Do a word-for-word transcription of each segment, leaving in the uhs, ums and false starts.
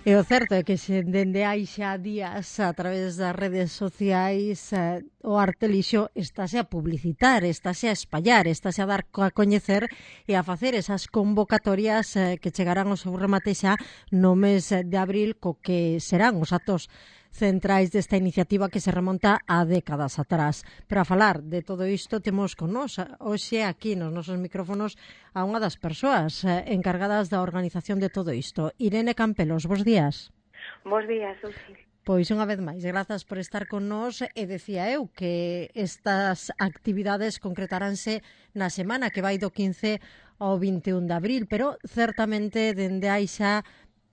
E o certo é que se dende hai xa días a través das redes sociais eh, o Artelixo estáse a publicitar, estáse a espallar, estáse a dar a coñecer e a facer esas convocatorias eh, que chegarán ao seu remate xa no mes de abril co que serán os actos centrais desta iniciativa que se remonta a décadas atrás. Para falar de todo isto temos con nos hoxe aquí nos nosos micrófonos a unha das persoas eh, encargadas da organización de todo isto. Irene Campelos, bos días. Bos días, Susi. Pois unha vez máis, grazas por estar con nós e decía eu que estas actividades concretaránse na semana que vai do quince ao vinte e un de abril, pero certamente dende aí xa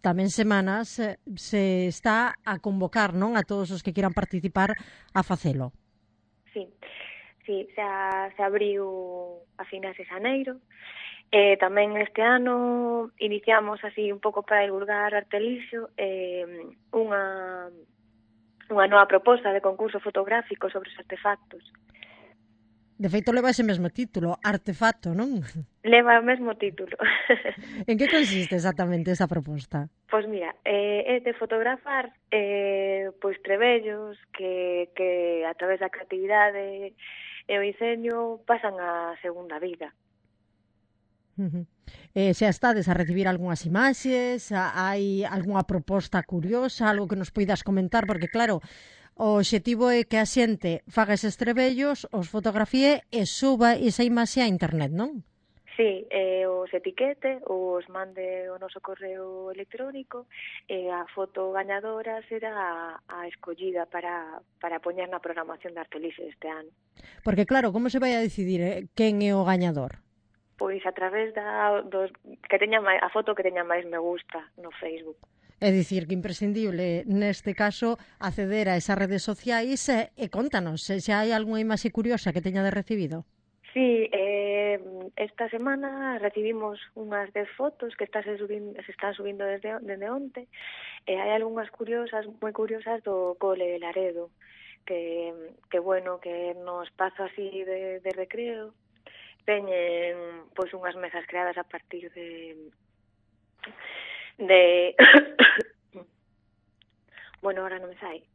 tamén semanas se está a convocar, non, a todos os que quieran participar a facelo. Sí, sí, xa se abriu a finais de xaneiro. Eh, tamén este ano iniciamos así un pouco para divulgar Artelixo eh, unha, unha nova proposta de concurso fotográfico sobre os artefactos. De feito, leva ese mesmo título, Artefacto, non? Leva o mesmo título. En que consiste exactamente esa proposta? Pois mira, eh, é de fotografar eh, pois trebellos que, que a través da creatividade e o diseño pasan a segunda vida. Uh-huh. Eh, xa estades a recibir algunhas imaxes, hai algunha proposta curiosa, algo que nos poidas comentar, porque claro, o obxectivo é que a xente faga eses trebellos, os fotografíe e suba esa imaxe a internet, non? Sí, eh, os etiquete, os mande o noso correo electrónico e a foto gañadora será a, a escollida para, para poñer na programación de Artelixo este ano. Porque claro, como se vai a decidir eh, quen é o gañador? Pois a través da dos, que teña máis, a foto que teña máis me gusta no Facebook. É dicir, que imprescindible, neste caso, acceder a esas redes sociais e, e contanos, se xa hai algunha imaxe curiosa que teña de recibido. Sí, eh, esta semana recibimos unhas dez fotos que están subindo, se están subindo desde, desde onte, e hai algunhas curiosas, moi curiosas do cole de Laredo, que, que bueno, que no espazo así de, de recreo teñen pois unhas mesas creadas a partir de de bueno, ahora non me sai.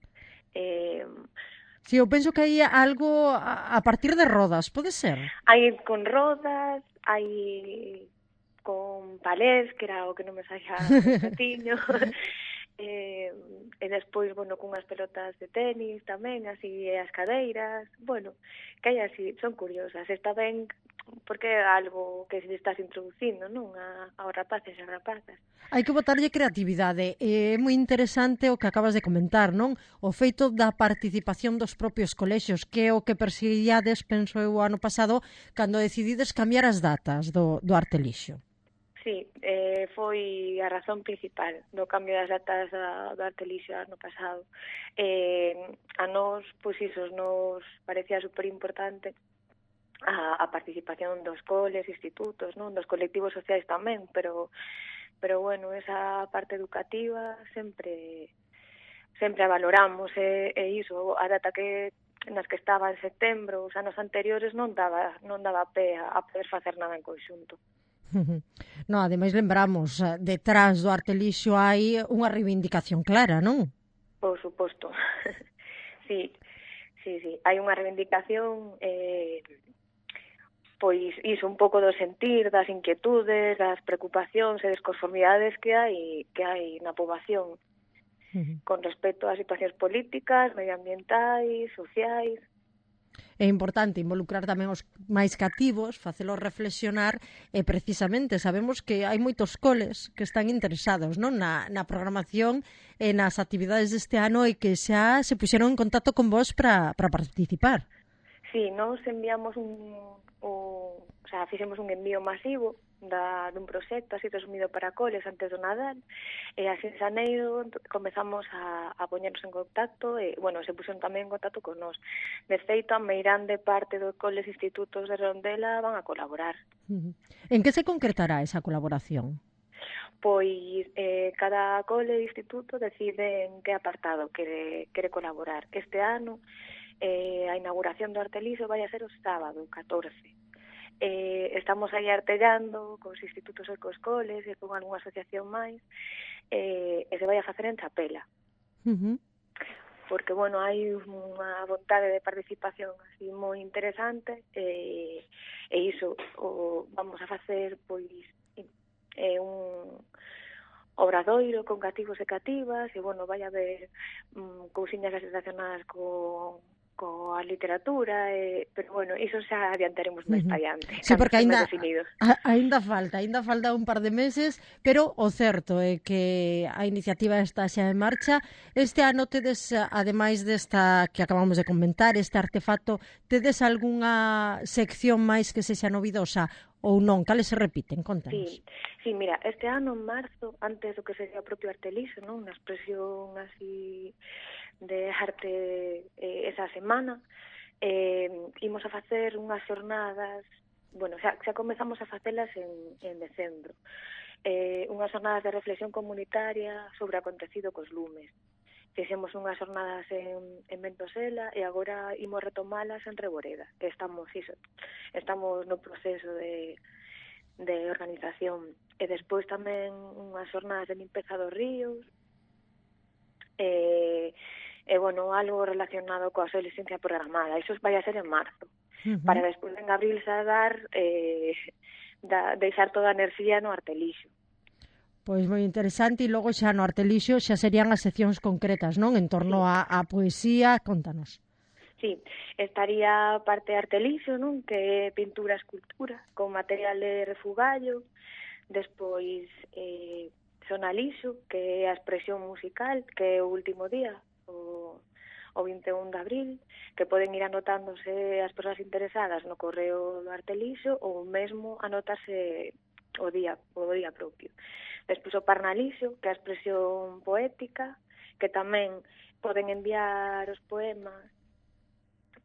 Eh, Si, eu penso que hai algo a, a partir de rodas, pode ser? Hai con rodas, hai con palés, que era o que non me saía o patiño. eh, e despois, bueno, cunhas pelotas de tenis tamén, así, e as cadeiras. Bueno, que hai así, son curiosas. Está ben, porque é algo que se estás introducindo, non? A, aos rapaces e as rapazas. Hai que botarlle creatividade. É moi interesante o que acabas de comentar, non? O feito da participación dos propios colexios, que é o que perseguiades, penso eu, o ano pasado, cando decidides cambiar as datas do, do Artelixo. Sí, eh, foi a razón principal do cambio das datas da, do Artelixo ano pasado. Eh, a nós, pois iso, nos parecía superimportante a, a participación dos coles, institutos, non, dos colectivos sociais tamén, pero pero bueno, esa parte educativa sempre sempre a valoramos e, e iso, a data que nas que estaba en setembro, os anos anteriores non daba non daba pé a, a poder facer nada en conxunto. No, ademais lembramos, detrás do Artelixo hai unha reivindicación clara, non? Por suposto. Sí, sí, sí, hai unha reivindicación eh pois iso, un pouco do sentir, das inquietudes, das preocupacións e desconformidades que hai que hai na poboación uh-huh. con respecto ás situacións políticas, medioambientais, sociais. É importante involucrar tamén os máis cativos, facelos reflexionar e precisamente sabemos que hai moitos coles que están interesados, non, na, na programación e nas actividades deste ano e que xa se puxeron en contacto con vos para participar. Sí, nos enviamos un, un, o sea, fixemos un envío masivo da, dun proxecto así resumido para coles antes do Nadal e así en xaneiro comezamos a, a poñernos en contacto e, bueno, se puxeron tamén en contacto con nós. De feito, a meirande parte dos coles institutos de Redondela van a colaborar. Uh-huh. En que se concretará esa colaboración? Pois eh, cada cole e instituto decide en que apartado quere, quere colaborar. Este ano Eh, a inauguración do Artelixo vai a ser o sábado, catorce. eh, estamos aí artellando cos institutos e cos coles e con algunha asociación máis, eh, e se vai a facer en Chapela. Uh-huh. Porque, bueno, hai unha vontade de participación así moi interesante, e, e iso o vamos a facer, pois, é un obradoiro con cativos e cativas, e, bueno, vai haber um, cousiñas relacionadas con coa literatura, e, pero, bueno, iso xa adiantaremos máis Uh-huh. para adiante. Sí, porque ainda, a, ainda falta, ainda falta un par de meses, pero o certo é que a iniciativa está xa en marcha. Este ano tedes, ademais desta que acabamos de comentar, este artefacto, tedes algunha sección máis que sexa novidosa ou non? Cales se repiten? Contanos. Sí, sí, mira, este ano en marzo, antes do que sería o propio Arteliso, non? Unha expresión así de arte eh, esa semana, eh, imos a facer unhas xornadas, bueno, xa, xa comezamos a facelas en, en decembro, eh, unhas xornadas de reflexión comunitaria sobre o acontecido cos lumes. Fixemos unhas xornadas en, en Ventosela e agora imos retomalas en Reboreda, que estamos, iso, estamos no proceso de, de organización. E despois tamén unhas xornadas de limpeza dos ríos, e, e bueno, algo relacionado coa adolescencia programada. Iso vai a ser en marzo, uh-huh. para despois en abril xa dar, eh, da, deixar toda a enerxía no Artelixo. Pois moi interesante, e logo xa no Artelixo xa serían as seccións concretas, non? En torno sí. a, a poesía, contanos. Sí, estaría parte Artelixo, non? Que é pintura e escultura, con material de refugallo, despois eh, Sonalixo, que é a expresión musical, que é o último día, o, o vinte e un de abril, que poden ir anotándose as persoas interesadas no correo do Artelixo ou mesmo anotarse o día, o día propio. Despois o Parnalixo, que é a expresión poética, que tamén poden enviar os poemas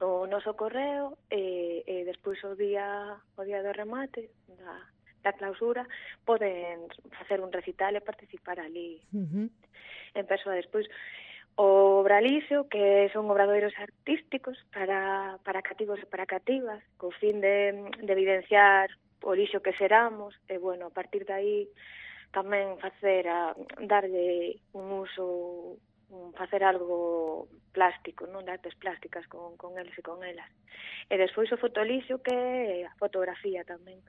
o noso correo, e, e despois o día o día do remate da, da clausura poden facer un recital e participar ali uh-huh. en persoa. Despois o Obralixo, que son obradoiros artísticos para, para cativos e para cativas, co fin de, de evidenciar o lixo que seramos, e, bueno, a partir de aí tamén facer a, darlle un uso, un, facer algo plástico, non, de artes plásticas con, con eles e con elas. E despois o fotolixo, que é a fotografía tamén.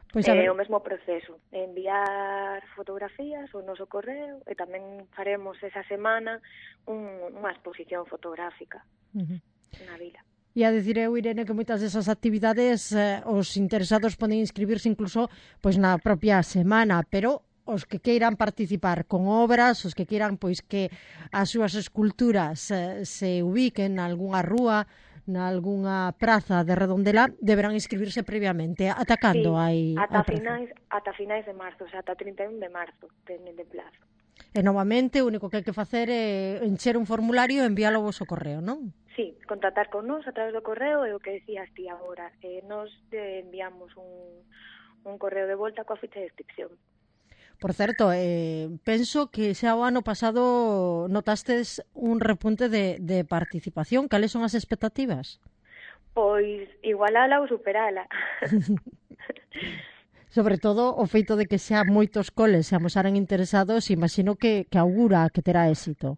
Pois é o mesmo proceso, enviar fotografías ao noso correo, e tamén faremos esa semana un, unha exposición fotográfica uh-huh. na vila. E a dicir eu, Irene, que moitas desas actividades eh, os interesados poden inscribirse incluso pois na propia semana, pero os que queiran participar con obras, os que queiran pois que as súas esculturas eh, se ubiquen na algunha rúa, na algunha praza de Redondela, deberán inscribirse previamente. Ata cando sí, hai ata finais, ata finais de marzo, o sea, ata trinta e un de marzo, teñen de plazo. E novamente o único que hai que facer é encher un formulario e enviálo ao vosso correo, non? Sí, contactar con nós a través do correo, e o que decías ti agora, eh, nos enviamos un, un correo de volta coa ficha de inscripción. Por certo, eh, penso que xa o ano pasado notastes un repunte de, de participación. Cales son as expectativas? Pois igualala ou superala. Sobre todo o feito de que xa moitos coles se amosaren interesados, imagino que, que augura que terá éxito.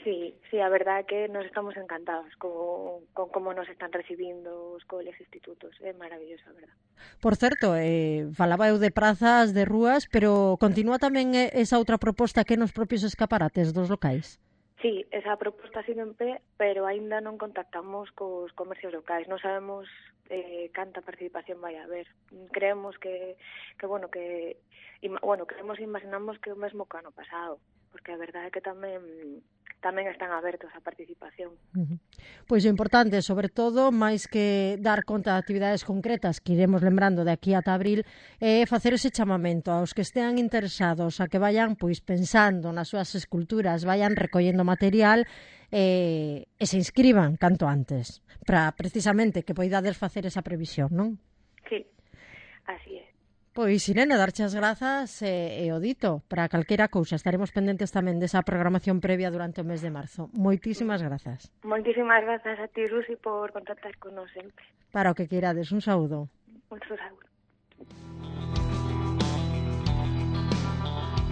Sí, sí, a verdade é que nos estamos encantados con, con como nos están recibindo os coles e institutos. É maravilloso, a verdade. Por certo, eh, falaba eu de prazas, de rúas, pero continúa tamén esa outra proposta que nos propios escaparates dos locais? Sí, esa proposta sigue en pé, pero aínda non contactamos cos comercios locais. Non sabemos eh, canta participación vai haber. Creemos que, que bueno, que bueno, creemos e imaginamos que o mesmo que o ano pasado, porque a verdade é que tamén tamén están abertos á participación. Uh-huh. Pois o importante, sobre todo, máis que dar conta de actividades concretas que iremos lembrando de aquí ata abril, é facer ese chamamento aos que estean interesados a que vayan pois pensando nas súas esculturas, vayan recollendo material e, e se inscriban canto antes, para precisamente que poidades facer esa previsión, non? Sí, así é. Pois, Irene, darche as grazas e, e o dito para calquera cousa. Estaremos pendentes tamén desa programación previa durante o mes de marzo. Moitísimas grazas. Moitísimas grazas a ti, Rusi, por contactar con nos sempre. Para o que queirades. Un saúdo. Moitos agur.